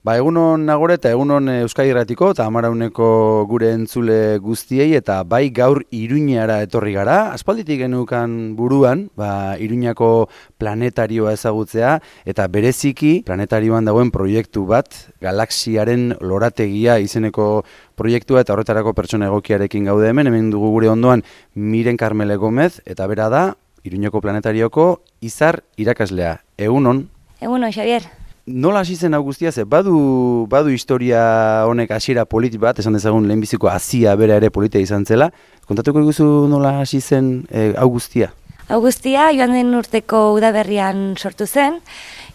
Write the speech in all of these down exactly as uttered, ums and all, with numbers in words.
Ba, egunon nagore eta egunon Euskadi Irratiko eta Amarauneko gure entzule guztiei eta bai gaur Iruñara etorri gara. Aspalditik genukan buruan, ba, Iruñako planetarioa ezagutzea eta bereziki planetarioan dagoen proiektu bat, galaxiaren lorategia izeneko proiektua eta horretarako pertsona egokiarekin gaude hemen, hemen dugu gure ondoan Miren Karmele Gomez eta bera da Iruñako planetarioko Izar irakaslea. Egunon. Egunon, Xavier. Nola hasi zen hau guztia, ze badu, badu historia honek hasiera polit bat, esan dezagun lehenbiziko hasia bera ere politia izan zela. Kontatuko iguzu nola hasi zen e, hau guztia? Hau guztia joan den urteko udaberrian sortu zen,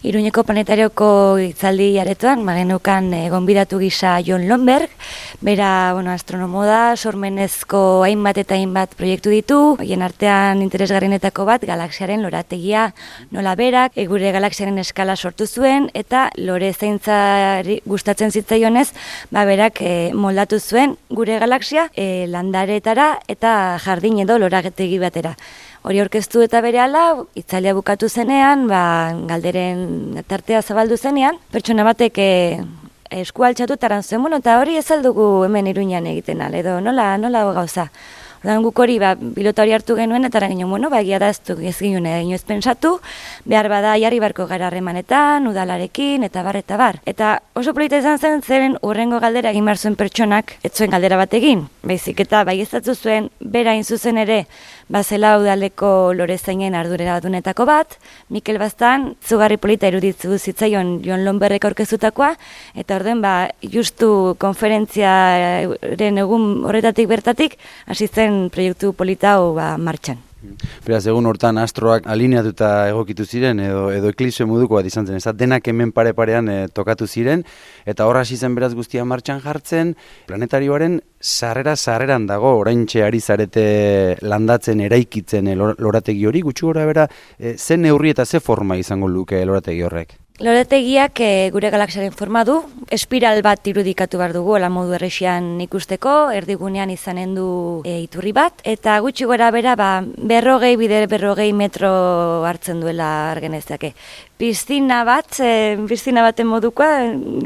Iruñeko planetarioko hitzaldi aretoan, magenukan e, gonbidatu gisa Jon Lomberg, bera bueno, astronomo da, sormenezko hainbat eta hainbat proiektu ditu, horien artean interesgarrienetako bat galaxiaren lorategia nola berak, e, gure galaxiaren eskala sortu zuen, eta lore zaintzari gustatzen zitzaionez, ba berak e, moldatu zuen gure galaxia e, landaretara eta jardin edo lorategi batera. Hori orkestu eta berehala, hitzaldia bukatu zenean, ba, galderen tartea zabaldu zenean, pertsona batek e, esku altxatu eta zuen, bueno, eta hori ez aldugu hemen Iruñan egiten al, edo nola, nola gauza. Ordan guk hori, ba, pilota hori hartu genuen, eta ginen, bueno, ba, egia da ez du ez ginen egin ez pentsatu, behar bada jarri barko gara harremanetan, udalarekin, eta bar, eta bar. Eta oso polita izan zen, zeren urrengo galdera egin behar zuen pertsonak, ez zuen galdera bat egin, baizik eta bai ezatzu zuen, bera hain zuzen ere, bazela udaleko lorezainen ardurera dunetako bat, Mikel Baztan, zugarri polita iruditzu zitzaion Jon Lomberrek aurkeztutakoa, eta orden, ba, justu konferentziaren egun horretatik bertatik, hasi zen proiektu polita hau ba, martxan. Beraz, egun hortan astroak alineatuta egokitu ziren, edo, edo eklipse moduko bat izan zen, ez da, denak hemen pare-parean e, tokatu ziren, eta horra hasi zen beraz guztia martxan jartzen, planetarioaren sarrera-sarreran dago, oraintxe ari zarete landatzen, eraikitzen e, lorategi hori, gutxi gora bera, e, ze neurri eta ze forma izango luke lorategi horrek? Lorategiak e, gure galaxiaren forma du, espiral bat irudikatu behar dugu, ala modu errexian ikusteko, erdigunean izanen du e, iturri bat, eta gutxi gora bera, ba, berrogei, bider berrogei metro hartzen duela argenezake. Piztina bat, e, piztina baten modukoa,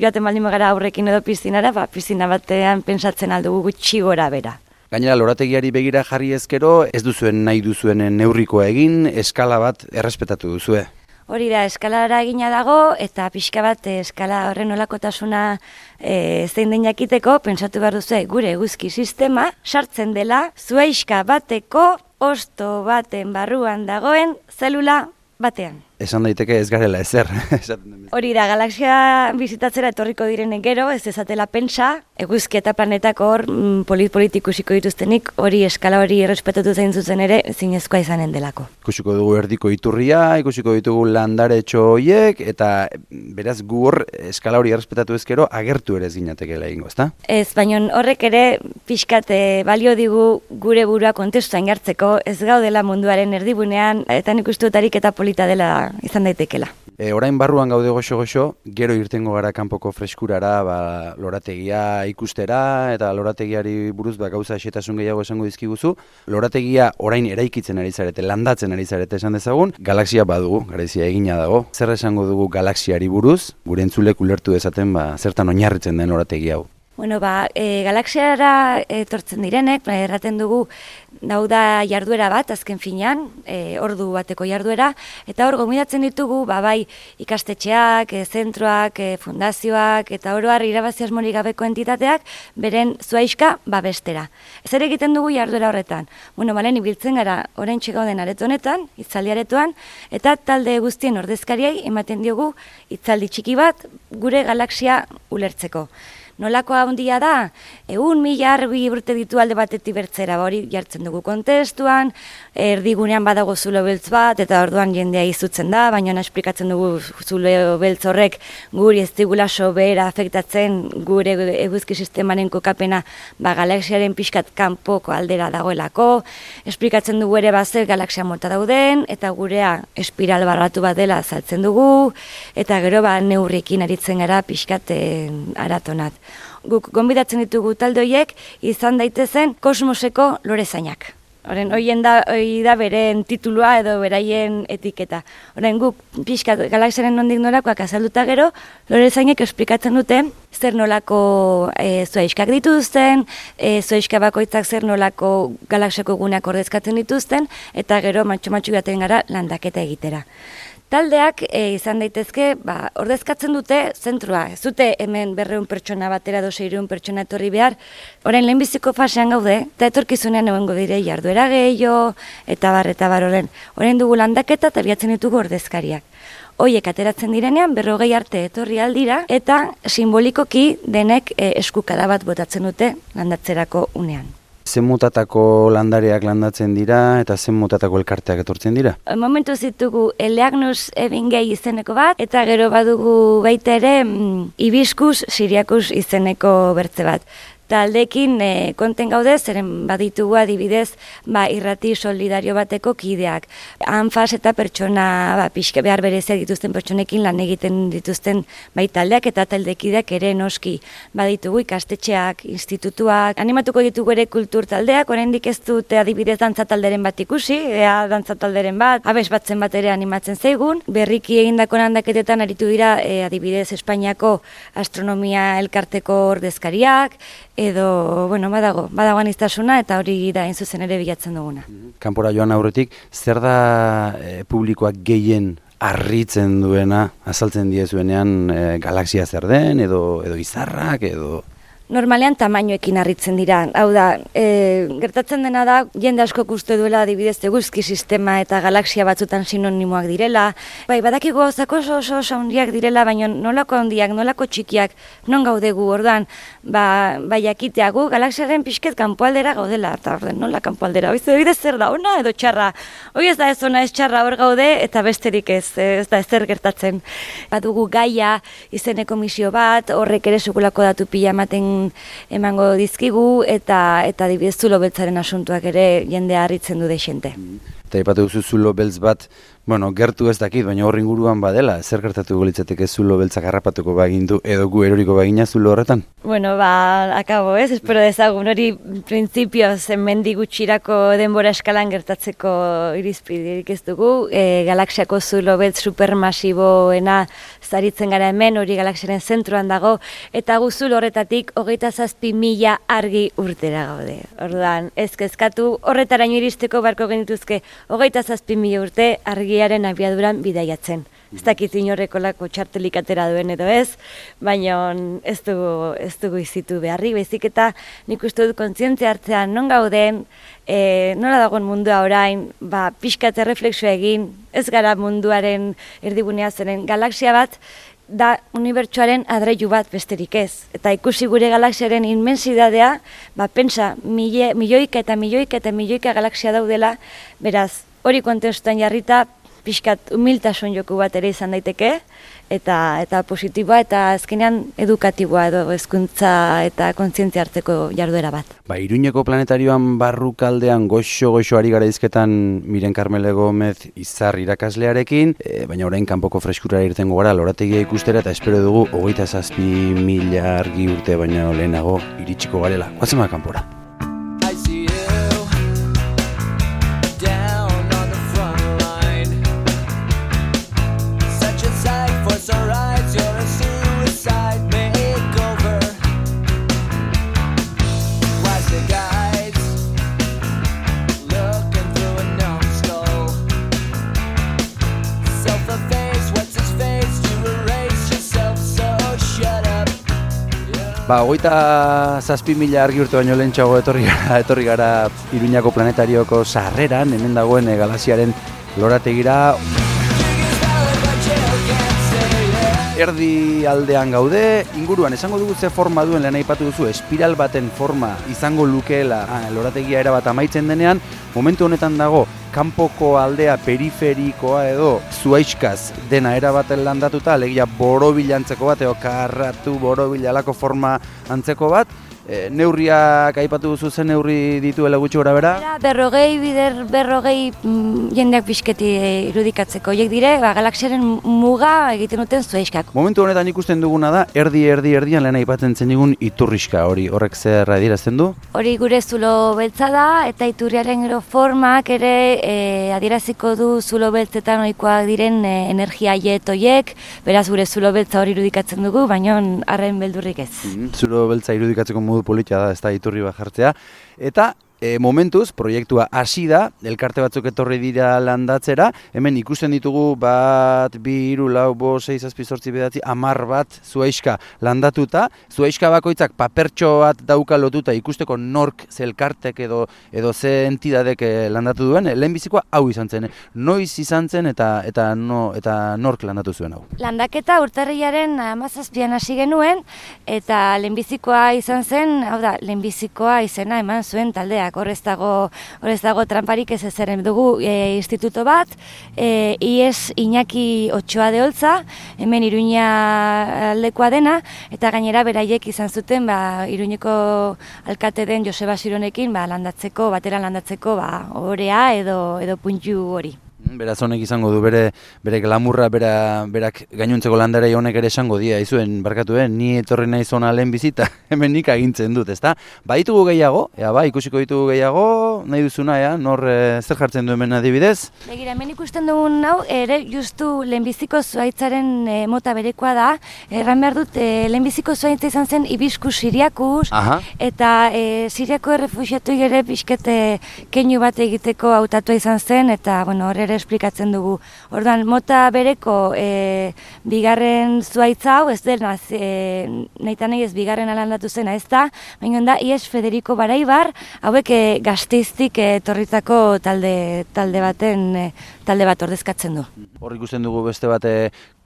joaten baldin gara aurrekin edo piztinara, ba, piztina batean pensatzen aldugu gutxi gora bera. Gainera, lorategiari begira jarri ezkero, ez duzuen nahi duzuen neurrikoa egin, eskala bat errespetatu duzue. Hori da, eskalara egina dago, eta pixka bat eskala horren olakotasuna e, zein den jakiteko, pentsatu behar duzu, gure eguzki sistema sartzen dela zuhaixka bateko hosto baten barruan dagoen zelula batean. Esan daiteke ez garela ezer. Hori da, galaxia bizitatzera etorriko direnen gero, ez ezatela pentsa, eguzki eta planetak hor mm, polit-polit ikusiko dituztenik, hori eskala hori errespetatu zein zuzen ere, zinezkoa izanen delako. Ikusiko dugu erdiko iturria, ikusiko ditugu landaretxo horiek, eta beraz gu hor eskala hori errespetatu ezkero agertu ere ez ginatekela egingo, ezta? Ez, baina horrek ere pixkat balio digu gure burua kontestuan jartzeko, ez gaudela munduaren erdibunean, eta nik uste dut ariketa polita dela izan daitekela. E, orain barruan gaude goxo-goxo, gero irtengo gara kanpoko freskurara, ba, lorategia ikustera, eta lorategiari buruz ba, gauza xetasun gehiago esango dizkiguzu. Lorategia orain eraikitzen ari zarete, landatzen ari zarete esan dezagun, galaxia badugu, garaizia egina dago. Zer esango dugu galaxiari buruz, gure entzulek ulertu dezaten ba, zertan oinarritzen den lorategi hau? Bueno, ba, e, galaxiara etortzen direnek, ba, erraten dugu dauda jarduera bat, azken finean, e, ordu bateko jarduera, eta hor gomidatzen ditugu, ba, bai ikastetxeak, e, zentroak, e, fundazioak, eta oroar irabazi asmorik gabeko entitateak, beren zuhaixka babestera. Zer egiten dugu jarduera horretan? Bueno, balen ibiltzen gara oraintxe gauden areto honetan, hitzaldi aretoan, eta talde guztien ordezkariei ematen diogu hitzaldi txiki bat gure galaxia ulertzeko. Nolako handia da, egun mila argi urte ditu alde batetik bertzera, hori jartzen dugu kontestuan, erdigunean badago zulo beltz bat, eta orduan jendea izutzen da, baina esplikatzen dugu zulo beltz horrek guri ez digula sobera afektatzen gure eguzki sistemaren kokapena ba, galaxiaren pixkat kanpoko aldera dagoelako, esplikatzen dugu ere bazer galaxia mota dauden, eta gurea espiral barratu bat dela azaltzen dugu, eta gero ba, neurriekin aritzen gara pixkat aratonat. Guk gonbidatzen ditugu talde horiek izan daitezen kosmoseko lorezainak. Horren, hoien da, hoi da beren titulua edo beraien etiketa. Horren, guk pixka galaxiaren nondik norakoak azalduta gero, lorezainek esplikatzen dute zer nolako e, zuaiskak dituzten, e, zuaiska bakoitzak zer nolako galaxiako guneak ordezkatzen dituzten, eta gero matxo-matxo jaten gara landaketa egitera. Taldeak e, izan daitezke, ba, ordezkatzen dute zentrua. Ez dute hemen berreun pertsona batera edo seireun pertsona etorri behar. Orain lehenbiziko fasean gaude, eta etorkizunean egongo dire jarduera gehiago, eta bar, eta bar horren. Orain dugu landaketa eta biatzen ditugu ordezkariak. Hoiek ateratzen direnean berrogei arte etorri aldira, eta simbolikoki denek e, eskukada bat botatzen dute landatzerako unean. Zen mutatako landareak landatzen dira eta zen mutatako elkarteak etortzen dira? Momentu zitugu Eleagnus Ebingei izeneko bat, eta gero badugu baita ere mm, Hibiscus Syriacus izeneko bertze bat. Taldekin e, konten gaude, zeren baditugu adibidez ba, irrati solidario bateko kideak. Anfas eta pertsona ba, pixka behar berezia dituzten pertsonekin lan egiten dituzten bai taldeak eta taldekideak ere noski. Baditugu ikastetxeak, institutuak, animatuko ditugu ere kultur taldeak, oraindik ez dute adibidez dantza talderen bat ikusi, ea dantza talderen bat, abes batzen bat ere animatzen zaigun. Berriki egindako landaketetan aritu dira e, adibidez Espainiako astronomia elkarteko ordezkariak, edo, bueno, badago, badago aniztasuna eta hori da hain zuzen ere bilatzen duguna. Kanpora joan aurretik, zer da e, publikoak gehien harritzen duena, azaltzen diezuenean e, galaxia zer den, edo, edo izarrak, edo... Normalean tamainoekin harritzen dira. Hau da, e, gertatzen dena da, jende askok uste duela adibidez eguzki sistema eta galaxia batzutan sinonimoak direla. Bai, badakigu gauzak oso oso oso handiak direla, baina nolako handiak, nolako txikiak, non gaudegu orduan, ba, bai jakiteagu, galaxiaren pixket kanpoaldera gaudela, eta orden, nola kanpoaldera, oiz, oiz zer da, ona edo txarra. Hoi ez da ez ona ez txarra hor gaude, eta besterik ez, ez da ezer gertatzen. Badugu Gaia izeneko misio bat, horrek ere sekulako datu pila ematen emango dizkigu eta eta adibidez zulo beltzaren asuntuak ere jendea harritzen du dexente. Eta ipatu duzu zulo beltz bat, bueno, gertu ez dakit, baina hor inguruan badela, zer gertatuko litzateke zulo beltzak harrapatuko bagindu edo gu eroriko bagina zulo horretan? Bueno, ba, akabo ez, espero dezagun hori printzipioz hemendik gutxirako denbora eskalan gertatzeko irizpiderik ez dugu, e, galaxiako zulo beltz supermasiboena zaritzen gara hemen, hori galaxiaren zentroan dago, eta gu zulo horretatik hogeita zazpi mila argi urtera gaude. Orduan, ez kezkatu, horretaraino iristeko barko genituzke hogeita zazpi mila urte argiaren abiaduran bidaiatzen. Ez dakit inorrekolako txartelik atera duen edo ez, baina ez dugu, ez dugu izitu beharrik, baizik eta nik uste dut kontzientzia hartzean non gauden, e, nola dagoen mundua orain, ba, pixkat erreflexioa egin, ez gara munduaren erdigunea zeren galaxia bat, da unibertsuaren adreilu bat besterik ez. Eta ikusi gure galaxiaren inmensidadea, ba, pensa, mille, milioika eta milioika eta milioika galaxia daudela, beraz, hori kontestuan jarrita, pixkat humiltasun joku bat ere izan daiteke, eta eta positiboa eta azkenean edukatiboa edo hezkuntza eta kontzientzia hartzeko jarduera bat. Ba, Iruñeko planetarioan barrukaldean goxo-goxo ari gara izketan Miren Carmele Gomez izar irakaslearekin, e, baina orain kanpoko freskura irtengo gara lorategia ikustera eta espero dugu hogeita zazpi mila argi urte baina lehenago iritsiko garela. Guazen bat kanpora. Ba, hogeita zazpi mila argi urte baino lehentxago etorri gara, etorri gara Iruñako planetarioko sarreran, hemen dagoen e, galaxiaren lorategira. Erdi aldean gaude, inguruan esango dugu ze forma duen lehen aipatu duzu, espiral baten forma izango lukeela ah, lorategia erabat amaitzen denean, momentu honetan dago kanpoko aldea periferikoa edo zuaiskaz dena erabaten landatuta, alegia borobil antzeko bat, edo karratu borobil alako forma antzeko bat, E, neurriak aipatu duzu zen neurri dituela gutxi gora bera? Berrogei, bider, berrogei mm, jendeak pixketi irudikatzeko. Horiek dire, ba, galaxiaren muga egiten duten zuaiskak. Momentu honetan ikusten duguna da, erdi, erdi, erdian lehen aipatzen zen digun iturriska hori, horrek zer adierazten du? Hori gure zulo beltza da, eta iturriaren gero formak ere e, adieraziko du zulo beltzetan ohikoak diren e, energia jet horiek, beraz gure zulo beltza hori irudikatzen dugu, baina arren beldurrik ez. Mm, zulo beltza irudikatzeko modu politia da, ez da iturri bat jartzea. Eta e, momentuz, proiektua hasi da, elkarte batzuk etorri dira landatzera, hemen ikusten ditugu bat, bi, hiru, lau, bost, sei, zazpi, zortzi, bederatzi, hamar bat zuaiska landatuta, zuaiska bakoitzak papertxo bat dauka lotuta ikusteko nork ze elkartek edo, edo ze entidadek landatu duen, lehenbizikoa hau izan zen, noiz izan zen eta, eta, no, eta nork landatu zuen hau. Landaketa urtarrilaren hamazazpian hasi genuen, eta lehenbizikoa izan zen, hau da, lehenbizikoa izena eman zuen taldeak. Horrez dago, horrez dago tramparik ez ezeren dugu e, instituto bat, e, ies Iñaki Otxoa de Oltza, hemen Iruña aldekoa dena, eta gainera beraiek izan zuten ba, Iruñeko alkate den Joseba Sironekin ba, landatzeko, batera landatzeko ba, orea edo, edo puntu hori. Beraz honek izango du bere bere glamurra, bera, berak gainontzeko landarei honek ere esango dia, izuen, barkatuen, ni etorri nahi zona lehen bizita, hemen nik agintzen dut, ezta? Ba, ditugu gehiago, ea ba, ikusiko ditugu gehiago, nahi duzuna, ea, nor e, zer jartzen du hemen adibidez? Begira, hemen ikusten dugun hau, ere justu lehenbiziko zuaitzaren e, mota berekoa da, erran behar dut, e, lehenbiziko zuaitza izan zen ibiskus siriakus, Aha. eta e, siriako errefuxiatu ere pixkete keinu bat egiteko hautatua izan zen, eta, bueno, hor ere esplikatzen dugu. Orduan, mota bereko e, bigarren zuaitza hau, ez dena, e, nahi eta nahi ez bigarren alandatu zena ez da, baina da, Ies Federico Baraibar, hauek e, Gasteiztik etorritako talde, talde baten, e, talde bat ordezkatzen du. Hor ikusten dugu beste bate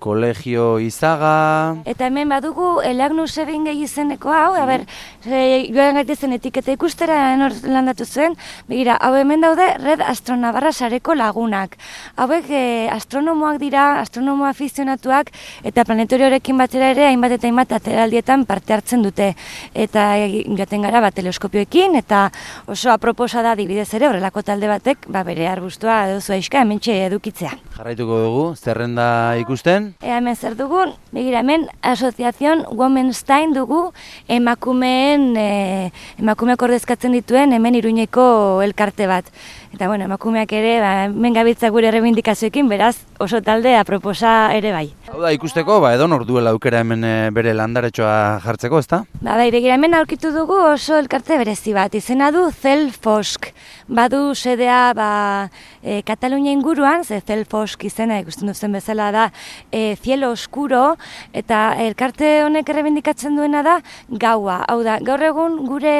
Kolegio Izaga... Eta hemen badugu Elagnus Ebingei izeneko hau, a ber, e, joan gaitezen etiketa ikustera enor landatu zuen, begira, hau hemen daude Red Astronavarra sareko lagunak. Hauek e, astronomoak dira, astronomo afizionatuak, eta planetorioarekin batera ere hainbat eta hainbat ateraldietan parte hartzen dute. Eta joaten gara bat teleskopioekin, eta oso aproposa da adibidez ere horrelako talde batek, ba bere arbustua edo zuaiska hementxe edukitzea. Jarraituko dugu, zerrenda ikusten? Ea hemen zer dugun, begira hemen Asoziazion Womenstein dugu emakumeen, e, emakumeak ordezkatzen dituen hemen Iruñeko elkarte bat. Eta bueno, emakumeak ere, ba, hemen gabiltza gure errebindikazioekin, beraz oso talde aproposa ere bai. Hau da ikusteko, ba, edo nor duela aukera hemen e, bere landaretxoa jartzeko, ezta? Ba, bai, begira hemen aurkitu dugu oso elkarte berezi bat, izena du Zelfosk. Badu sedea ba, e, Katalunia inguruan, ze Zelfosk izena ikusten duzen bezala da, e, Cielo Oscuro, eta elkarte honek errebindikatzen duena da gaua. Hau da, gaur egun gure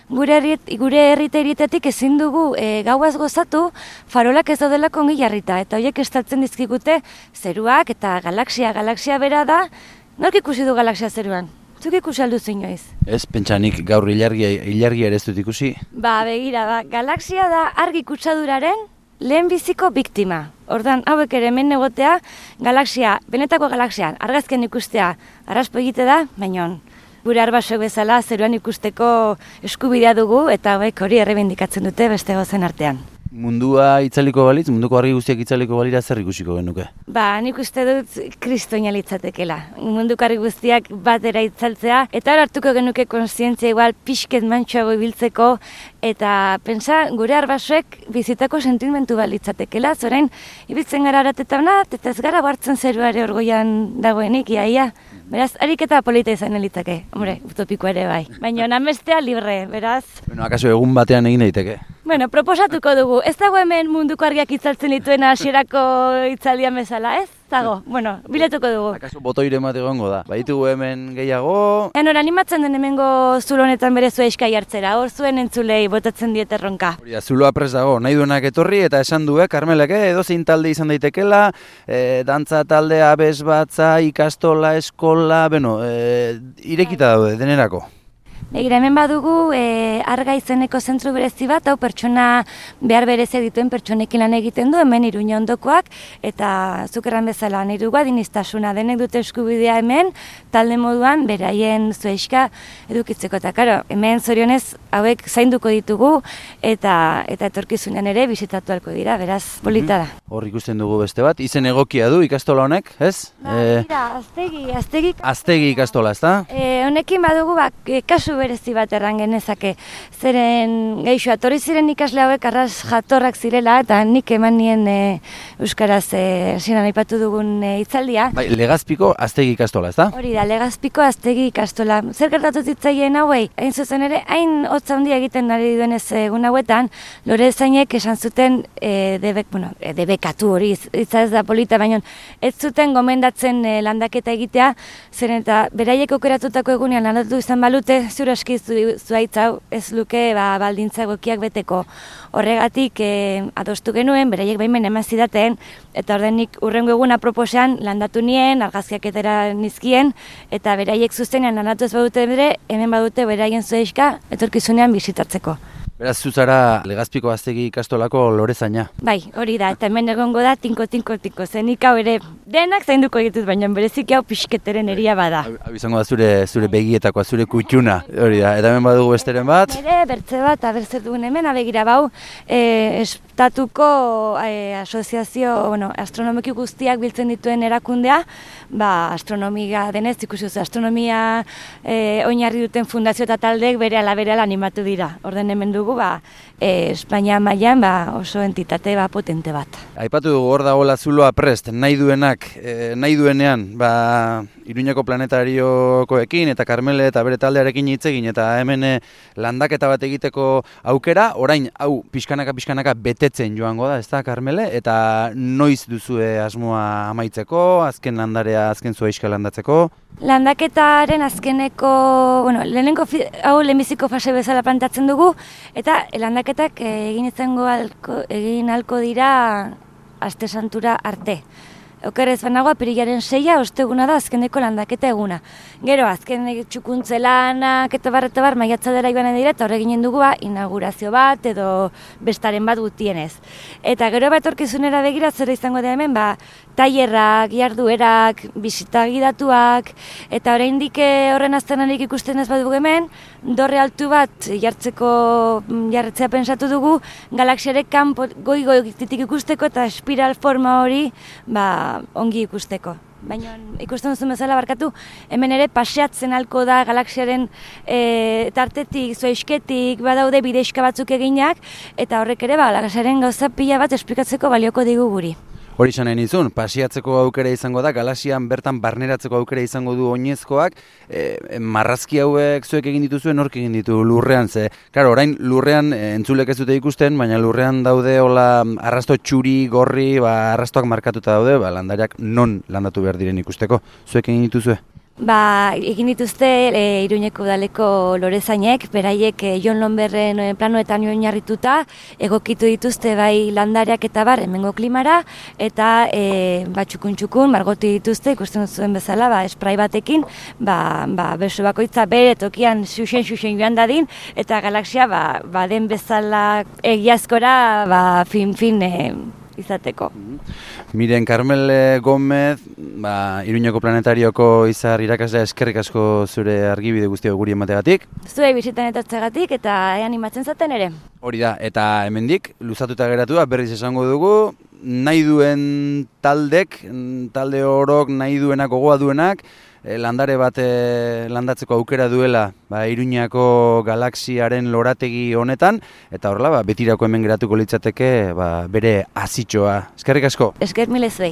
gure herrit, gure herrita iritetik ezin dugu e, gauaz gozatu farolak ez daudelako ongi jarrita, eta horiek estaltzen dizkigute zeruak eta galaxia, galaxia bera da, nork ikusi du galaxia zeruan? Zuk ikusi alduzu inoiz? Ez, pentsanik gaur ilargia, ilargia ere ez dut ikusi. Ba, begira, ba, galaxia da argi kutsaduraren lehenbiziko biktima. Ordan hauek ere hemen egotea, galaxia, benetako galaxian, argazken ikustea, arraspo egite da, baina gure arbasok bezala zeruan ikusteko eskubidea dugu, eta hauek hori errebindikatzen dute beste gozen artean. Mundua itzaliko balitz, munduko argi guztiak itzaliko balira zer ikusiko genuke? Ba, nik uste dut kristoina litzatekela. Munduko argi guztiak batera itzaltzea, eta hor hartuko genuke konsientzia igual pixket mantxoago ibiltzeko, eta pentsa gure arbasoek bizitako sentimentu bat litzatekela, zorain ibiltzen gara aratetan bat, eta ez gara hartzen zeruare orgoian dagoenik, iaia. Beraz, ariketa polita izan litzake, hombre, utopiko ere bai. Baina namestea libre, beraz. Bueno, akaso egun batean egin daiteke? Bueno, proposatuko dugu. Ez dago hemen munduko argiak itzaltzen dituen hasierako itzaldian bezala, ez? Dago, bueno, bilatuko dugu. Akaso botoire bat egongo da. Baitugu hemen gehiago... Enor, animatzen den hemengo zulo honetan bere zuaiskai hartzera, hor zuen entzulei botatzen diet erronka. Hori da, zuloa prest dago, nahi duenak etorri eta esan du, eh, Karmelek, eh, edozein talde izan daitekela, eh, dantza talde, abes batza, ikastola, eskola, beno, eh, irekita daude, denerako. Begira, hemen badugu e, Arga izeneko zentru berezi bat, hau pertsona behar berezia dituen pertsonekin lan egiten du, hemen Iruña ondokoak, eta zuk erran bezala niru adiniztasuna denek dute eskubidea hemen, talde moduan beraien zueixka edukitzeko. Eta karo, hemen zorionez hauek zainduko ditugu, eta eta etorkizunean ere bisitatu ahalko dira, beraz, polita da. Hor ikusten dugu beste bat, izen egokia du ikastola honek, ez? Ba, mira, aztegi, aztegi... Aztegi ikastola, ez da? E, honekin badugu, ba, kasu berezi bat erran genezake. Zeren, geixo, atorri ziren ikasle hauek arras jatorrak zirela, eta nik eman nien e, Euskaraz e, ziren aipatu dugun e, hitzaldia. Bai, Legazpiko aztegi ikastola, ez da? Hori da, Legazpiko aztegi ikastola. Zer gertatu zitzaien hauei? Hain zuzen ere, hain hotza handia egiten ari duenez egun hauetan, Lorezainek esan zuten e, debek, bueno, e, debekatu hori, hitza ez da polita, baina ez zuten gomendatzen e, landaketa egitea, zeren eta beraiek aukeratutako egunean landatu izan balute, zure aski zuaitz hau ez luke ba, baldintza egokiak beteko. Horregatik e, adostu genuen, beraiek baimen eman zidaten, eta ordenik urrengo eguna proposean landatu nien, argazkiak etera nizkien, eta beraiek zuzenean landatu ez badute bere, hemen badute beraien zueixka etorkizunean bisitatzeko. Beraz, zuzara Legazpiko aztegi ikastolako Lorezaina. Bai, hori da, eta hemen egongo da tinko, tinko, tinko, zenik hau ere denak zainduko egituz, baina bereziki hau pixketeren eria bada. Hau izango da zure, zure begietakoa, zure kutxuna, hori da, eta hemen badugu besteren bat. Ere, bertze bat, abertzer dugun hemen, abegira bau, e, estatuko e, asoziazio, bueno, astronomiki guztiak biltzen dituen erakundea, ba, astronomia denez, ikusi duzu, astronomia e, oinarri duten fundazio eta taldeek bere ala bere ala animatu dira. Orden hemen dugu, ba, e, Espainia mailan ba, oso entitate ba, potente bat. Aipatu dugu hor dagoela zuloa prest, nahi duenak, e, nahi duenean, ba, Iruñako planetariokoekin eta Karmele eta bere taldearekin hitz egin eta hemen e, landaketa bat egiteko aukera, orain hau pixkanaka pixkanaka betetzen joango da, ez da Karmele, eta noiz duzue asmoa amaitzeko, azken landarea, azken zuaiska landatzeko? Landaketaren azkeneko, bueno, lehenengo hau lehenbiziko fase bezala plantatzen dugu, eta landaketak egin izango alko, egin alko dira aste santura arte. Okerrez banago, apirilaren seia, osteguna da azkeneko landaketa eguna. Gero, azken txukuntze lanak eta bar, eta bar, maiatza dela ibanen dira, eta horre ginen dugu, ba, inaugurazio bat edo bestaren bat gutienez. Eta gero bat orkizunera begira, zer izango da hemen, ba, tailerrak, jarduerak, bisita gidatuak, eta oraindik horren aztenarik ikusten ez badugu hemen, dorre altu bat jartzeko, jarretzea pensatu dugu, galaxiarek kanpo goi-goi ikusteko eta espiral forma hori, ba, ongi ikusteko. Baina ikusten duzun bezala barkatu, hemen ere paseatzen halko da galaxiaren e, tartetik, zuaizketik, badaude bideixka batzuk eginak, eta horrek ere ba, galaxiaren gauza pila bat esplikatzeko balioko digu guri. Hori izan nahi nizun, paseatzeko aukera izango da, galaxian bertan barneratzeko aukera izango du oinezkoak, e, marrazki hauek zuek egin dituzuen nork egin ditu lurrean, ze, klaro, orain lurrean e, entzulek ez dute ikusten, baina lurrean daude hola arrasto txuri, gorri, ba, arrastoak markatuta daude, ba, landariak non landatu behar diren ikusteko, zuek egin dituzue? Ba, egin dituzte e, Iruñeko udaleko Lorezainek, beraiek e, Jon Lomberren planoetan oinarrituta, egokitu dituzte bai landariak eta bar hemengo klimara, eta e, ba, txukun-txukun margotu dituzte, ikusten zuen bezala, ba, esprai batekin, ba, ba, beso bakoitza bere tokian xuxen-xuxen joan dadin, eta galaxia ba, ba, den bezala egiazkora ba, fin-fin e, izateko. Miren Karmele Gomez, ba, Iruñeko planetarioko izar irakaslea, eskerrik asko zure argibide guztiak guri emategatik. Zuei bisitan etortzegatik eta animatzen zaten ere. Hori da, eta hemendik luzatuta geratu da, berriz esango dugu, nahi duen taldek, talde orok nahi duenak, gogoa duenak, landare bat landatzeko aukera duela ba, Iruñako galaxiaren lorategi honetan, eta horrela ba, betirako hemen geratuko litzateke ba, bere azitxoa. Eskerrik asko. Esker mile zuei.